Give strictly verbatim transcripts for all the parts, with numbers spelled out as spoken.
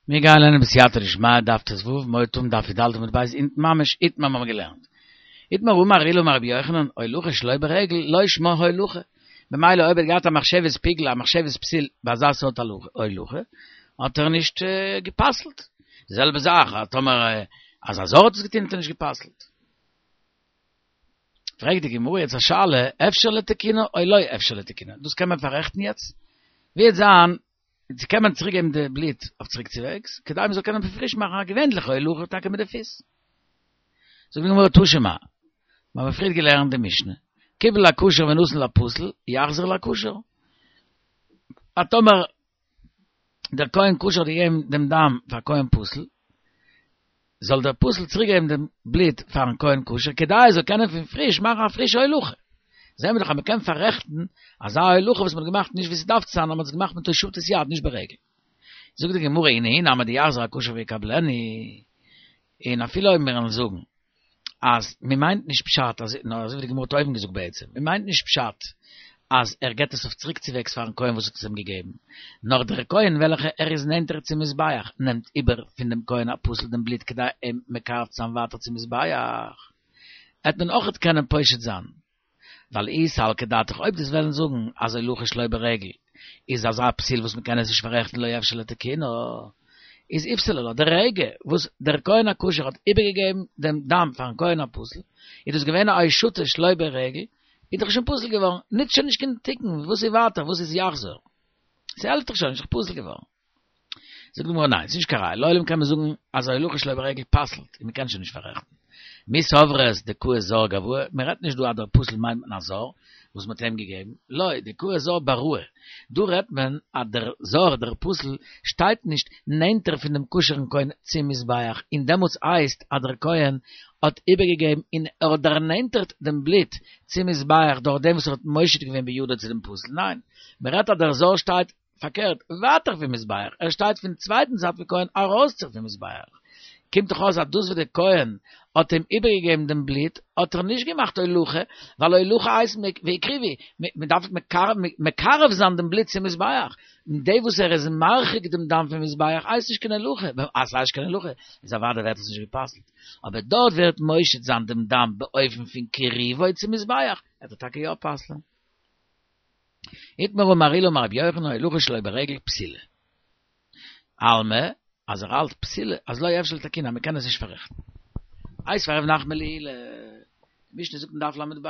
מיר גייען לערנען בסייעתא דשמיא דף ט"ו, מועד תום דף י"ד עמוד ב' אונטן ממש איתמר האבן מיר געלערנט. איתמר אמר עולא אמר רבי יוחנן, הולכה שלא ברגל לא שמה הולכה. ממילא אויב ער האט געהאט א מחשבת פיגול, א מחשבת פסיל ביי אזא סארט הולכה, האט ער נישט גע'פסל'ט. די זעלבע זאך טאמער אז א זר האט עס געטון האט ער נישט גע'פסל'ט. פרעגט די גמרא יעצט א שאלה, אפשר לתקונו או לא אפשר לתקונו? דאס קען מען פאררעכטן יעצט? ווי וועט זיין צו קען מען צוריק געבן די בלוט אויף צוריק צוועגס, כדי מען זאל קענען פריש מאכן א געווענליכע הולכה טאקע מיט די פיס. זאגט די גמרא תא שמע, מיר האבן פריער געלערנט די משנה, קיבל הכשר ונתן לפסול, יחזיר לכשר. אז טאמער דער כהן כשר האט געגעבן דעם דם פאר כהן פסול, זאל דער פסול צוריק געבן דעם בלוט פארן כהן כשר, כדי ער זאל קענען פון פריש מאכן א פרישע הולכה. זעהן מיר דאך אז מען קען פאררעכטן אזא הולכה וואס מען האט געמאכט נישט ווי ס'דארף צו זיין, נאר מען האט עס געמאכט מיט הושטת יד, נישט ברגל. זאגט די גמרא, אי נהי נמי דיחזיר הכשר ויקבלנו, און אפילו אויב מיר וועלן זאגן אז מען מיינט נישט פשט אז, נאר אזוי ווי די גמרא האט אויבן געזאגט בעצם, מען מיינט נישט פשט אז ער געבט עס אויף צוריקצווועגס פארן כהן וואס האט עס אים געגעבן, נאר דער כהן וועלכע ער איז נענטער צום מזבח נעמט איבער פון דעם כהן הפסול דעם בלוט כדי אים מקרב צו זיין ווייטער צום מזבח, העט מען אויכעט קענען פושט זיין. ווייל אי סלקא דעתך אויב דו'סט וועלן זאגן אז הולכה שלא ברגל איז אזא פסול וואס מ'קען עס נישט פאררעכטן לא אפשר לתקונו, איז איפסלה לה, די רגע וואס דער כהן הכשר האט איבערגעגעבן דעם דם פארן כהן הפסול, איז דאס געווען א הושטה שלא ברגל, איז דאך שוין פסול געווארן, נוצט שוין נישט קיין תיקון, וואס איז ווייטער, וואס איז יחזור? ס'העלפט דאך שוין נישט, ס'איז פסול געווארן. זאגט די גמרא ניין, ס'איז נישט קיין ראיה, לעולם קען מען זאגן אז הולכה שלא ברגל פסל'ט און מ'קען שוין נישט פאררעכטן. מי סברת דקאי זר גואי, מען רעדט נישט דא אז דער פסול מיינט מען א זר וואס מ'האט איהם געגעבן, לא, דקאי זר בראי, דא רעדט מען אז דער זר, דער פסול, שטייט נישט נענטער פון דעם כשר'ן כהן צום מזבח, און דעמאלטס הייסט אז דער כהן האט איבערגעגעבן און ער האט דערנענטערט דעם בלוט צום מזבח דורך דעם וואס ער האט מושיט געווען בידו צו דעם פסול, ניין, מען רעדט אז דער זר שטייט פארקערט, ווייטער פון מזבח, ער שטייט פון צווייטן זייט פון כהן ארויסצו פון מזבח. קומט דאך אויס אז דאס וואס דער כהן האט אים איבערגעגעבן דעם בלוט, האט ער נישט געמאכט הולכה, ווייל הולכה הייסט והקריבו, מען דארף מקרב זיין דעם בלוט צום מזבח, און דער וואס ער איז מרחיק דעם דם פון מזבח הייסט נישט קיין הולכה, אז ס'הייסט נישט קיין הולכה, איז אוודאי ווערט עס נישט גע'פסל'ט. אבער דארט ווערט מושיט זיין דעם דם באופן פון קירובו צום מזבח, וועט ער טאקע יא פסל'ען. איתמר אמר עולא אמר רבי יוחנן הולכה שלא ברגל פסולה. אלמא, אז ער האלט פסולה, אז לא אפשר לתקונה, מען קען עס נישט פאררעכטן. איתיביה רב נחמן לעולא, די משנה זאגט אין דף ל"ב,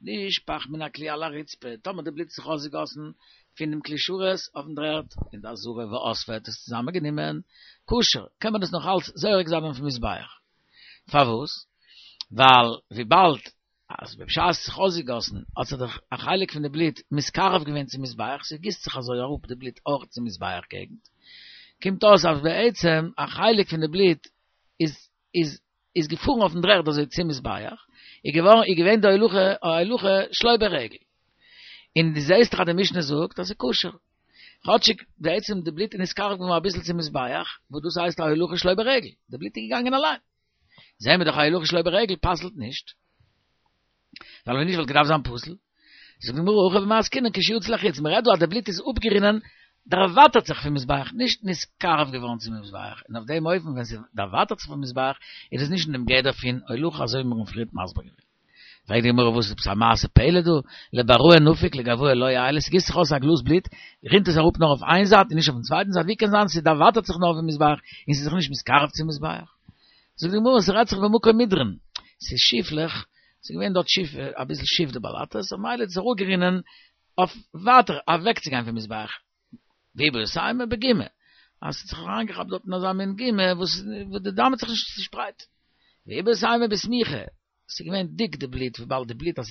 נשפך מן הכלי על הרצפה, טאמער די בלוט האט זיך אויסגעגאסן פון דעם כלי שרת אויפן דר'ערד אין די עזרה ואספו האט עס צוזאמען גענומען, כשר, קען מען עס נאך אלץ זורק זיין אויפן מזבח. פארוואס? ווייל וויבאלד אז בשעת ס'האט זיך אויסגעגאסן האט זיך דאך א חלק פון די בלוט מתקרב געווען צום מזבח, ס'גיסט זיך אזוי אראפ די בלוט אויך צום מזבח געגנט, קומט אויס אז בעצם א חלק פון די בלוט איז איז איז געפארן אויפן דר'ערד אזוי צום מזבח, איז געווארן איז געווען די הולכה א הולכה שלא ברגל. און דו זעסט דאך אז די משנה זאגט אז ס'איז כשר. כאטשיג בעצם די בלוט איז נתקרב געווארן אביסל צום מזבח, וואס דאס הייסט א הולכה שלא ברגל, די בלוט איז געגאנגען אליין. זעהן מיר דאך אז הולכה שלא ברגל פסל'ט נישט, ווייל ווען נישט וואלט געדארפט זיין פסול. זאגט די גמרא הכא במאי עסקינן כשיצא לחוץ, מען רעדט דא אז די בלוט איז אפגערינען, דערווייטערט זיך פון מזבח, נישט נתקרב געווארן צום מזבח, און אויף דעם אופן ווען ס'דערווייטערט זיך פון מזבח איז עס נישט אין דעם גדר פון הולכה אזוי ווי מיר האבן פריערט מסביר געווען. פרעגט די גמרא וואס איז עפעס א מעשה פלא דא, לבראי נפיק לגואי לא עיילי, ס'גיסט זיך אויס א גלאז בלוט, רינט עס אראפ נאר אויף איין זייט און נישט אויפן צווייטן זייט, ווי קען זיין ס'דערווייטערט זיך נאר פון מזבח און ס'איז זיך נישט מתקרב צום מזבח? זאגט די גמרא ס'רעדט זיך במקום מדרון, ס'איז שיפלעך, ס'איז געווען דארט שיף, אביסל שיף די באלאטעס, ממילא איז עס אראפגערינען אויף ווייטער אוועקצוגיין פון מזבח, ואיבעית אימא בגומא, אז ס'האט זיך אריינגעכאפט דארט אין אזא מין גומא וואס די דם האט זיך נישט צושפרייט, ואיבעית אימא בסמיכא, ס'איז געווען דיק די בלוט, וויבאלד די בלוט אז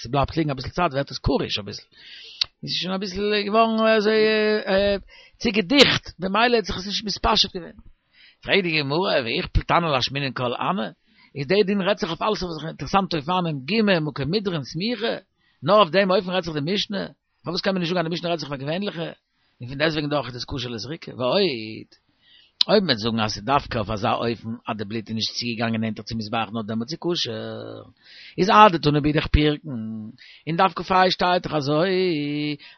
ס'בלייבט ליגן אביסל צייט ווערט עס קרוש אביסל, איז עס שוין אביסל געווארן אזוי צו געדיכט, במילא האט זיך עס נישט מתפשט געווען. פרעגט די גמרא, ואיכפל תנא לאשמועינן כל הני, איז די דין רעדט זיך אויף אלעס וואס איז אינטערעסאנטע אופנים, גומא, מקום מדרון, סמיכה, נאר אויף דעם אופן רעדט זיך די משנה, פארוואס קען מען נישט זאגן אז די משנה רעדט זיך פאר געווענליכע, און פון דעסטוועגן דאך איז עס כשר לזריקה, ועוד, אויב מ'וועט זאגן אז ס'איז דווקא אויף אזא אופן אז די בלוט איז נישט צוגעגאנגען נענטער צום מזבח נאר דעמאלטס איז כשר, איז אדתני באידך פירקן, אין דף כה שטייט דאך אזוי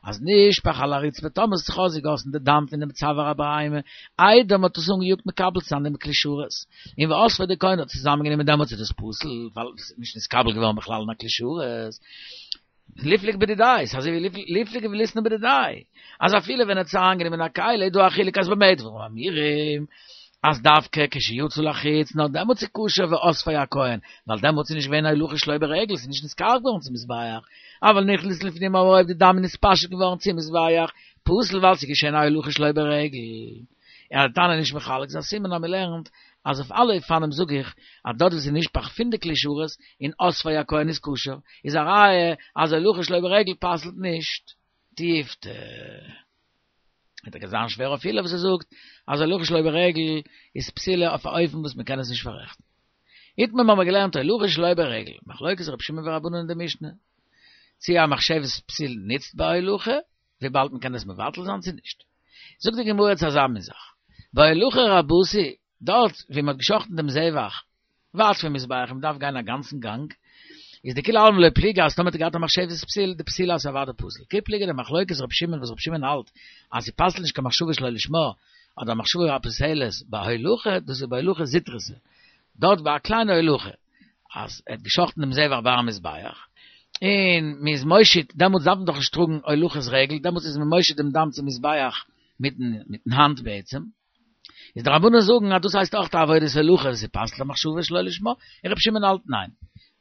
אז נשפך על הרצפה טאמער ס'האט זיך אויסגעגאסן די דם פונעם צוואר הבהמה איידער מ'האט עס אנגעיאגט מקבל צו זיין דעם כלי שרת, און ואספו די כהן האט עס צוזאמענגענומען דעמאלטס איז דאס פסול ווייל ס'איז נישט נתקבל געווארן בכלל אין א כלי שרת. ליפלוג בדידיה, ס'איז אזוי ווי ליפלוג וליתני בדידיה, אז אפילו ווען ער האט עס אריינגענומען אין א כלי איז דא א חילוק אז במה דברים אמורים, אז דווקא כשיצא לחוץ נאר דעמאלטס איז כשר ואספו הכהן, ווייל דעמאלטס איז נישט געווען הולכה שלא ברגל, ס'איז נישט נתקרב געווארן צום מזבח, אבל נכנס לפנים אבער אויב די דם איז נתפשט געווארן צום מזבח, פסול ווייל ס'איז געשען א הולכה שלא ברגל. און אז די תנא איז נישט מחלק איז א סימן אז מ'לערנט אז אויף אלע אופנים זאג איך אז דארט וואו ס'איז נשפך פון די כלי שרת און אספו הכהן איז כשר, איז א ראיה אז הולכה שלא ברגל פסל'ט נישט. תיובתא. וועט טאקע זיין שווער אויף עולא וואס ער זאגט אז הולכה שלא ברגל איז פסולה אויף א אופן וואס מ'קען עס נישט פאררעכטן. איתמר מ'האמיר געלערנט הולכה שלא ברגל, מחלוקת רבי שמעון ורבנן אין די משנה, צי א מחשבת פסיל ניצט ביי הולכה, וויבאלד מ'קען עס מבטל זיין צו נישט. זאגט די גמרא יעצט אזא מין זאך, בהולכה רבתי, דארט ווי מ'האט געשחטן דעם זבח, ווייט פון מזבח און מ'דארף גיין א גאנצן גאנג, איז דכולי עלמא לא פליגי אז טאמער האט ער געהאט א מחשבת פסיל, די פסילה איז אוודאי פסול. כי פליגי די מחלוקת רבי שמעון וואס רבי שמעון האלט אז ס'פסל'ט נישט קיין מחשבה שלא לשמה, אדער מחשבה הפוסלת בהולכה, דאס איז בהולכה זוטרתא, דארט ביי א קליינע הולכה, אז ער האט געשחטן דעם זבח ביי המזבח, און מ'איז מושיט, דעמאלטס דארף מען דאך נישט טראגן הולכת רגל, דעמאלטס איז מען מושיט דעם דם צום מזבח מיטן מיטן האנט בעצם. איז די רבנן זאגן אז דאס הייסט אויך א עבודת הולכה, ס'פסל'ט א מחשבה שלא לשמה, און רבי שמעון האלט ניין,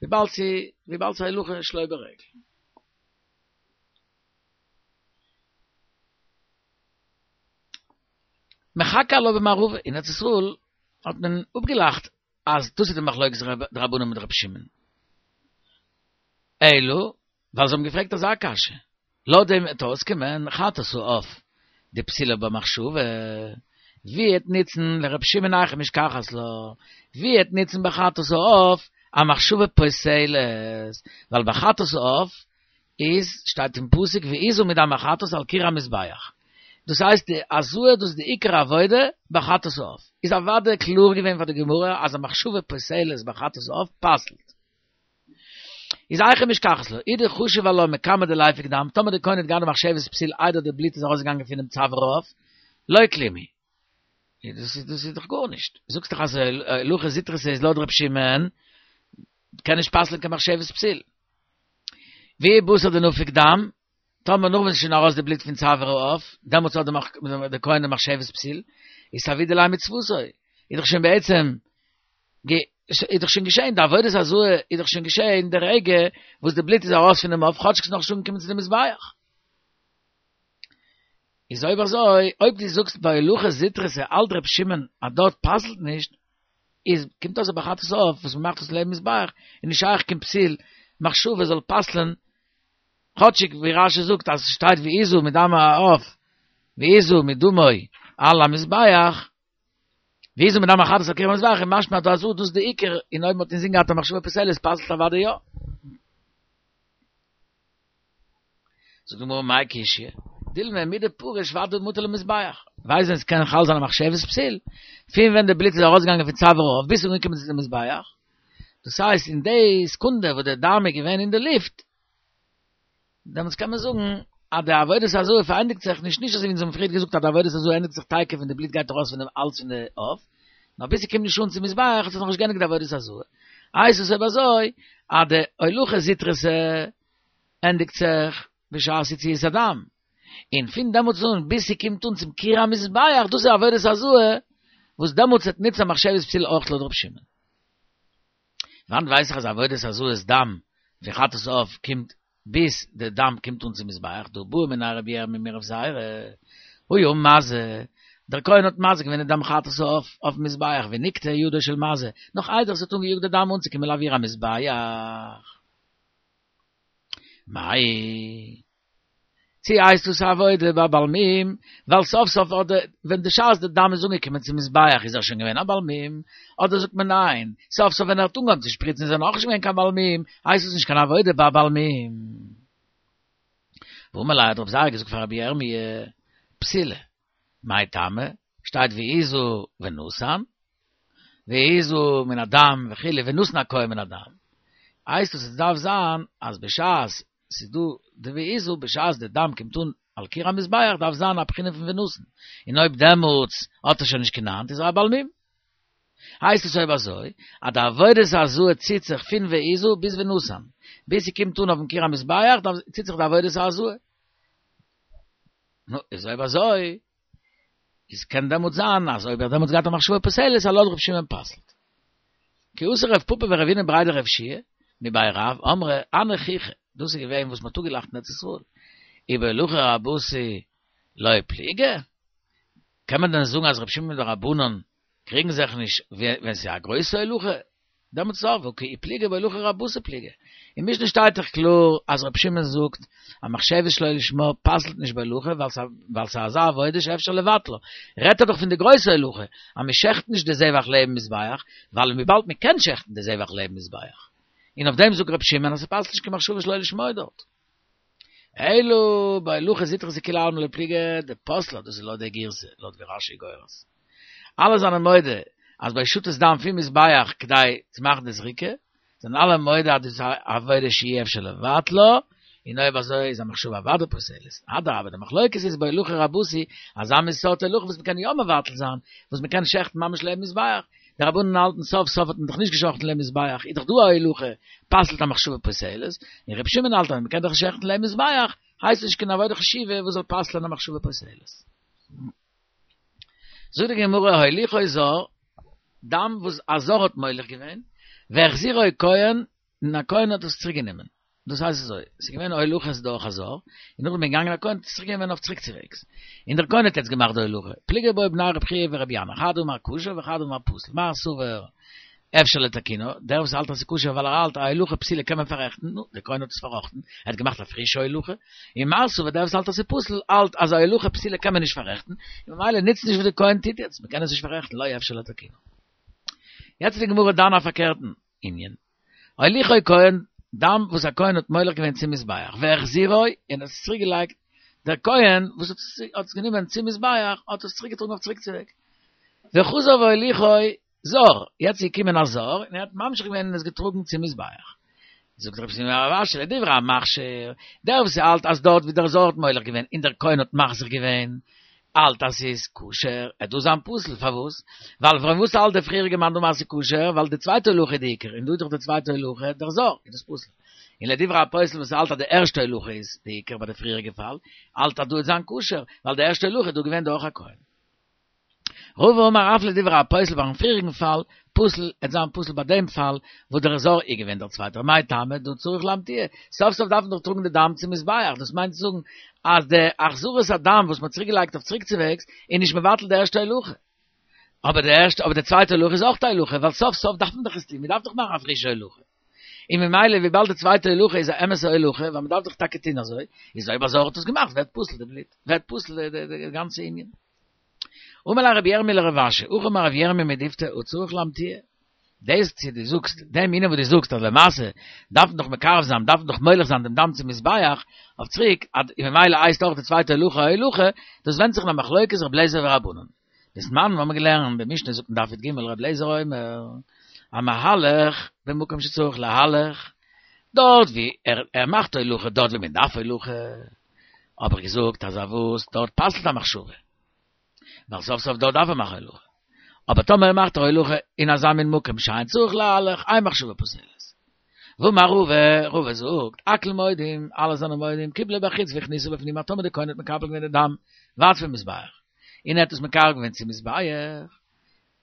וויבאלד ס'איז וויבאלד ס'איז הולכה שלא ברגל. מחכו עלה במערבא, אין ארץ ישראל האט מען אפגעלאכט אז דאס איז די מחלוקת די רבנן מיט רבי שמעון. אלא, ווייל זיי האבן געפרעגט אזא קשיא, לויט דעם וועט אויסקומען חטאת העוף דפסילה במחשבה, ווי וועט ניצן לר' שמעון היכי משכחת לה, ווי וועט ניצן ביי חטאת העוף א מחשבה פוסלת, ווייל ביי חטאת העוף איז שטייט אין פסוק והזה מדם החטאת על קיר המזבח, דאס הייסט די הזאה דאס איז די עיקר עבודה ביי חטאת העוף, איז אוודאי קלאר געווען פאר די גמרא אז א מחשבה פוסלת ביי חטאת העוף פסל'ט. איז היכי משכחת לה, אי דחשיב עלה מקמי דליפוק דם, טאמער די כהן האט געהאט די מחשבת פסיל איידער די בלוט איז ארויסגעגאנגען פונעם צוואר העוף, לא כלום הוא. דאס איז דאס איז דאך גארנישט. זאגסט דאך אז הולכה זוטרתא איז לויט ר' שמעון, קען נישט פסל'ען קיין מחשבת פסיל. ואי בתר דנפק דם, טאמער נאך ווען ס'איז שוין ארויס די בלוט פון צוואר העוף, דעמאלטס האט די כהן די מחשבת פסיל, איז סהדי ליה מצוותו, איז דאך שוין בעצם איז דאך שוין געשען, די עבודת הזאה איז דאך שוין געשען די רגע וואס די בלוט איז ארויס פונעם עוף, כאטשיג ס'איז נאכנישט אנגעקומען צו די מזבח. איז אויב אזוי, אויב דו זאגסט ביי הולכה זוטרתא האלט ר' שמעון אז דארט פסל'ט נישט, איז קומט אויס אז ביי חטאת העוף וואס מ'מאכט עס לעבן מזבח איז נישט שייך קיין פסיל מחשבה זאל פסל'ען, כאטשיג ווי רש"י זאגט אז ס'שטייט והזה מדם העוף והזה מדמו על המזבח, והזה מדם החטאת על קיר המזבח איז משמע אז דא דאס איז די עיקר, און אויב מ'האט אינזין געהאט א מחשבה פוסלת פסל'ט אוודאי יא. זאגט די גמרא מאי קשיא, דילמא מדפריש ודאי מטא למזבח, ווייסט ווען ס'קען חל זיין א מחשבת פסיל? פון ווען די בלוט איז ארויסגעגאנגען פון צוואר העוף ביז ס'איז אנגעקומען צו די מזבח, דאס הייסט אין די סעקונדע וואס די דם איז געווען אין די לופט, דעמאלטס קען מען זאגן אז די עבודת הזאה פארענדיגט זיך נישט, נישט אזוי ווי אונז האבן פריער געזאגט אז די עבודת הזאה ענדיגט זיך תיכף ווען די בלוט גייט ארויס פונעם האלז פון די עוף, נאר ביז ס'קומט נישט אן צום מזבח האט זיך נאכנישט געענדיגט די עבודת הזאה. הייסט עס אויב אזוי אז די הולכה זוטרתא ענדיגט זיך בשעת יציאת הדם, און פון דעמאלטס אן ביז ס'קומט אן צום קיר המזבח, דאס איז עבודת הזאה וואס דעמאלטס וועט ניצן א מחשבת פסיל אויך לויט ר' שמעון. וואנעט ווייס איך אז עבודת הזאת דם פון חטאת העוף קומט ביז די דם קומט אן צום מזבח, דהא בעא מיניה רבי ירמי' מרב זירא, היה מזה, דער כהן האט מזה געווען די דם חטאת העוף אויפן מזבח ונקטעה ידו של מזה, נאך איידער עס האט אנגעיאגט די דם אנצוקומען לאויר המזבח. מאי. צי הייסט דאס א עבודה ביי בעל מום, ווייל סוף סוף אדער ווען די שעת די דם איז אנגעקומען צום מזבח איז ער שוין געווען א בעל מום, אדער זאגט מען ניין, סוף סוף ווען ער האט אנגעהויבן צו שפריצן איז ער נאכנישט געווען קיין בעל מום, הייסט עס נישט קיין עבודה ביי א בעל מום. ואמר ליה האט רב זירא געזאגט פאר רבי ירמי', פסילה, מאי טעמא, שטייט והזו ונתן, והזו מן הדם וכו' ונתן הכהן מן הדם. הייסט עס עס דארף זיין אז בשעת ס'איז דא די והזו בשעת די דם קומט אן על קיר המזבח דארף זיין א בחינה פון ונתן. און אויב דעמאלטס האט ער שוין נישט קיין האנט איז ער א בעל מום. הייסט עס אויב אזוי אז די עבודת הזאה ציט זיך פון והזו ביז ונתן. ביז ס'קומט אן אויפן קיר המזבח דארף ציט זיך די עבודת הזאה. נו, איז אויב אזוי איז קען דעמאלט זיין אז אויב ער דעמאלט געהאט א מחשבה פוסלת אז לויט רב שמעון פסל'ט. כי אתא רב פפא ורבינא בריה דרב יהושע מבי רב אמרי הני חיכי דאס איז געווען וואס מ'האט אפגעלאכט אין ארץ ישראל ובהולכה רבתי לא פליגי קען מען דען זאגן אז רב שמעון מיט די רבנן קריגן זיך נישט ווען ס'איז א גרויסע הולכה דעמאלטס איז והא כי פליגי בהולכה רבתי פליגי. אין משנה שטייט דאך קלאר אז רבי שמעון זאגט א מחשבת שלא לשמה פסל'ט נישט בהולכה ווייל ס'איז אזא עבודה שאפשר לבטלה. רעדט ער דאך פון די גרויסע הולכה אז מ'שעכט נישט די זבח לעבן מזבח ווייל וויבאלד מ'קען שעכטן די זבח לעבן מזבח. און אויף דעם זאגט רבי שמעון אז ס'פסל'ט נישט קיין מחשבה שלא לשמה דארט. אלא בהולכה זוטרתא דכולי עלמא לא פליגי דפסלה דאס איז לויט די גירסא לויט ווי רש"י גורס. אלע זענען מודה אז ביי הושטת דם פון מזבח כדי צו מאכן די זריקה, זענען אלע מודה אז דאס איז א עבודה שאי אפשר לבטלה, און אויב אזוי איז א מחשבה אוודאי פוסלת. אדרבה, די מחלוקת איז בהולכה רבתי, אזא מין סארט הולכה וואס מ'קען יא מבטל זיין, וואס מ'קען שעכטן ממש לעבן מזבח. די רבנן האלטן סוף סוף האט מען דאך נישט געשאכטן לעבן מזבח, איז דאך דא א הולכה, פסל'ט א מחשבה פוסלת, און רבי שמעון האלט אז מ'קען דאך שעכטן לעבן מזבח, הייסט נישט קיין עבודה חשובה וואס זאל פסל'ען א מחשבה פוסלת. זאגט די גמרא הוליכו זר, דם וואס א זר האט מוליך געווען, והחזירו כהן, און א כהן האט עס צוריק גענומען. דאס הייסט אזוי, עס איז געווען הולכת דורך א זר, און נאכדעם איז געגאנגען א כהן האט עס צוריק גענומען אויף צוריק צוועגס. און דער כהן האט יעצט געמאכט די הולכה. פליגי בו בני רב חייא ורבי ינאי, חד אמר כשר וחד אמר פסול. מר סבר אפשר לתקונו, דער וואס האלט אז ס'איז כשר ווייל ער האלט א הולכה פסולה קען מען פאררעכטן, נו, דער כהן האט עס פארראכטן, ער האט געמאכט א פרישע הולכה, און מר סבר דער וואס האלט אז ס'איז פסול האלט אז א הולכה פסולה קען מען נישט פאררעכטן, און ממילא נוצט נישט וואס דער כהן טוט יעצט, מ'קען עס נישט פאררעכטן, לא אפשר לתקונו. יעצט איז די גמרא דן א פארקערטן ענין. הוליכו כהן, דם וואס א כהן האט מוליך געווען צום מזבח, והחזירו, און עס צוריק געלייגט, דער כהן וואס האט עס גענומען צום מזבח האט עס צוריק געטראגן אויף צוריק צוועג. וחזר והוליכו זר, יעצט איז געקומען א זר און ער האט ממשיך געווען און עס געטראגן צום מזבח. זאגט רב שימי בר רב אשי לדברי המכשיר, דער וואס האלט אז דארט ווי דער זר האט מוליך געווען און דער כהן האט מחזיר געווען, האלט אז ס'איז כשר, עט דאס זיין פסול, פארוואס? ווייל פארוואס האלט דער פריעריגע מאן דאמר אז ס'איז כשר, ווייל די צווייטע הולכה איז די עיקר, און דא איז דאך די צווייטע הולכה דער זר, איז דאס פסול. און לדברי הפוסל וואס האלט אז די ערשטע הולכה איז די עיקר ביי די פריעריגע פאל, האלט אז דא עט זיין כשר, ווייל די ערשטע הולכה איז דא געווען דורך א כהן. רבא אמר אף לדברי הפוסל ביים פריעריגן פאל, פסול, עט זיין פסול ביי דעם פאל וואס דער זר איז געווען דער צווייטער, מאי טעמא דהא צריך לאמתועי, סוף סוף דארף מען דאך טראגן די דם צום מזבח, דאס מיינט צו זאגן אז די החזרת הדם וואס מ'האט צוריק געלייגט אויף צוריקצווועגס איז נישט מבטל די ערשטע הולכה, אבער די ערשטע אבער די צווייטע הולכה איז אויך א הולכה, ווייל סוף סוף דארף מען דאך עס טון, מ'דארף דאך מאכן א פרישע הולכה. און ממילא וויבאלד די צווייטע הולכה איז א אמת'ע הולכה, ווייל מ'דארף דאך טאקע טון אזוי, איז אויב א זר האט עס געמאכט ווערט פסול די בלוט, ווערט פסול די גאנצע ענין. אמר ליה רבי ירמי' לרב אשי, הכי אמר רב ירמי' מדיפתי הא צריך לאמתועי. דאס צו דו זאגסט, דעם ענין וואס דו זאגסט אז למעשה דארף מען דאך מקרב זיין, דארף מען דאך מוליך זיין דעם דם צום מזבח אויף צוריק, און ממילא הייסט אויך די צווייטע הולכה א הולכה, דאס ווענדט זיך אין א מחלוקת רבי אליעזר ורבנן. דתנן מיר האבן געלערנט די משנה זאגט אין דף י"ג רבי אליעזר אומר, המהלך במקום שצריך להלך, דארט ווי ער ער מאכט הולכה דארט ווי מען דארף הולכה, האב איך געזאגט אז א וואס דארט פסל'ט א מחשבה, ווייל סוף סוף דארט דארף ער מאכן הולכה, אבער טאמער ער מאכט א הולכה אין אזא מין מקום שאין צריך להלך, אין מחשבה פוסלת. ואמר רבא, רבא זאגט, הכל מודים, אלע זענען מודים, קיבלו בחוץ והכניסו בפנים, אז טאמער די כהן האט מקבל געווען די דם ווייט פון מזבח, און ער האט עס מקרב געווען צום מזבח,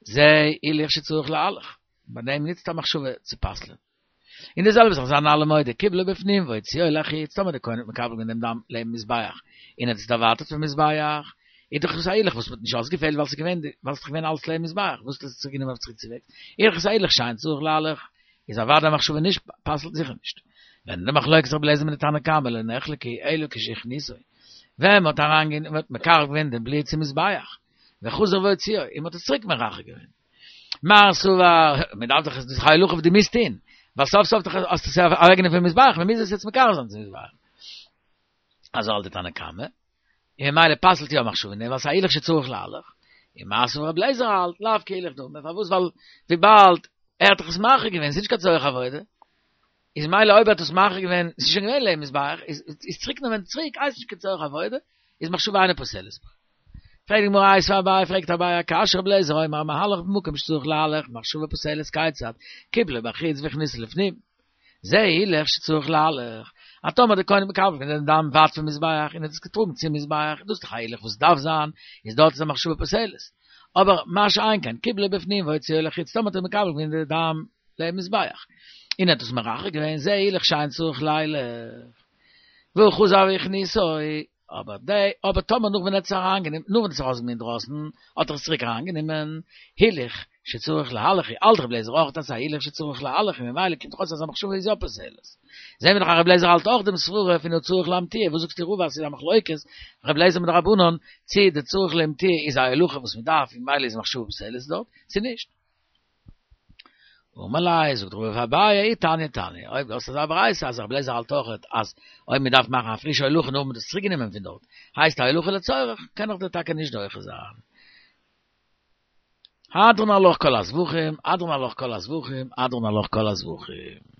זה הילוך שצריך להלך, ביי דעם נוצט א מחשבה צו פסל'ען. און די זעלבע זאך זענען אלע מודה, קיבלו בפנים והוציאו לחוץ, טאמער די כהן האט מקבל געווען דעם דם לעבן מזבח, און ער האט עס דערווייטערט פון מזבח, איז דאך עס א הילוך וואס מ'האט נישט אויסגעפעלט ווייל ס'איז געווען ווייל ס'איז דאך געווען אלעס לעבן מזבח, וואס האט עס צוריק גענומען אויף צוריק צוועגס, איז דאך עס א הילוך שאין צריך להלך, איז אוודאי א מחשבה נישט פסל'ט זיכער נישט. ווען די מחלוקת רבי אליעזר מיט די תנא קמא לא נחלקו אלא כשהכניסו, ווען מ'האט אריינגענומען מ'האט מקרב געווען דעם בלוט צום מזבח, וחזר והוציאו, און מ'האט עס צוריק מרחק געווען. מר סבר, מ'דארף דאך עס איז דאך א הולכה וואס דו מוזט טון, ווייל סוף סוף דאך האסטו עס אוועקגענומען פון מזבח, מ'מוז עס יעצט מקרב זיין צום מזבח. אזוי האלט די תנא קמא, און ממילא פסל'ט יא מחשבה, ווייל ס'איז א הילוך שצריך להלך. און מתיב רבי אליעזר האלט, לאו כהילוך דמי, פארוואס ווייל וויבאלד ער האט דאך עס מרחיק געווען, ס'איז נישט קיין צורך עבודה, איז מילא אויב ער האט עס מרחיק געווען, ס'איז שוין געווען לעבן מזבח, איז איז צוריק נעמען צוריק הייסט נישט קיין צורך עבודה, איז מחשבה אינה פוסלת. פרעגט די גמרא איתיביה אביי, פרעגט אביי א קשיא רבי אליעזר אומר המהלך במקום שצריך להלך מחשבה פוסלת כיצד קיבלו בחוץ והכניסו לפנים זה הילוך שצריך להלך אז טאמער דער כהן האט מקבל געווען דעם דם ווייט פון מזבח און האט עס געטראגן צום מזבח דאס איז דאך א הילוך וואס דארף זיין איז דארט איז א מחשבה פוסלת אבער מה שאין כן קיבלו בפנים והוציאו לחוץ טאמער האט ער מקבל געווען די דם לעבן מזבח און האט עס מרחק געווען זה הילוך שאין צריך לילך וחזר והכניסו אבער די, אבער טאמער נאך ווען ער האט עס אריינגענומען, נאך ווען ער האט עס ארויסגענומען אינדרויסן, האט ער עס צוריק אריינגענומען, הילוך שצריך להלך, האלט רבי אליעזר אויך אז ס'איז א הילוך שצריך להלך, און ממילא קומט דאך אויס אז א מחשבה איז יא פוסלת. זעהן מיר דאך אז רבי אליעזר האלט אויך דעם סברה פון צריך להמטיע, וואס זאגסטו רבא אז ס'איז א מחלוקת רבי אליעזר מיט די רבנן, צי די צריך להמטיע איז א הולכה וואס מ'דארף און ממילא איז מחשבה פוסלת דארט, צי נישט. אמר ליה, זאגט רבא פאר אביי, אי תניא תניא, אויב דו האסט אזא ברייתא אז רבי אליעזר האלט אויכעט אז אויב מען דארף מאכן א פרישע הולכה נאך מען האט עס צוריק גענומען פון דארט, הייסט א הולכה לצורך, קען איך דיר טאקע נישט דוחה זיין. הדרן עלך כל הזבחים, הדרן עלך כל הזבחים, הדרן עלך כל הזבחים.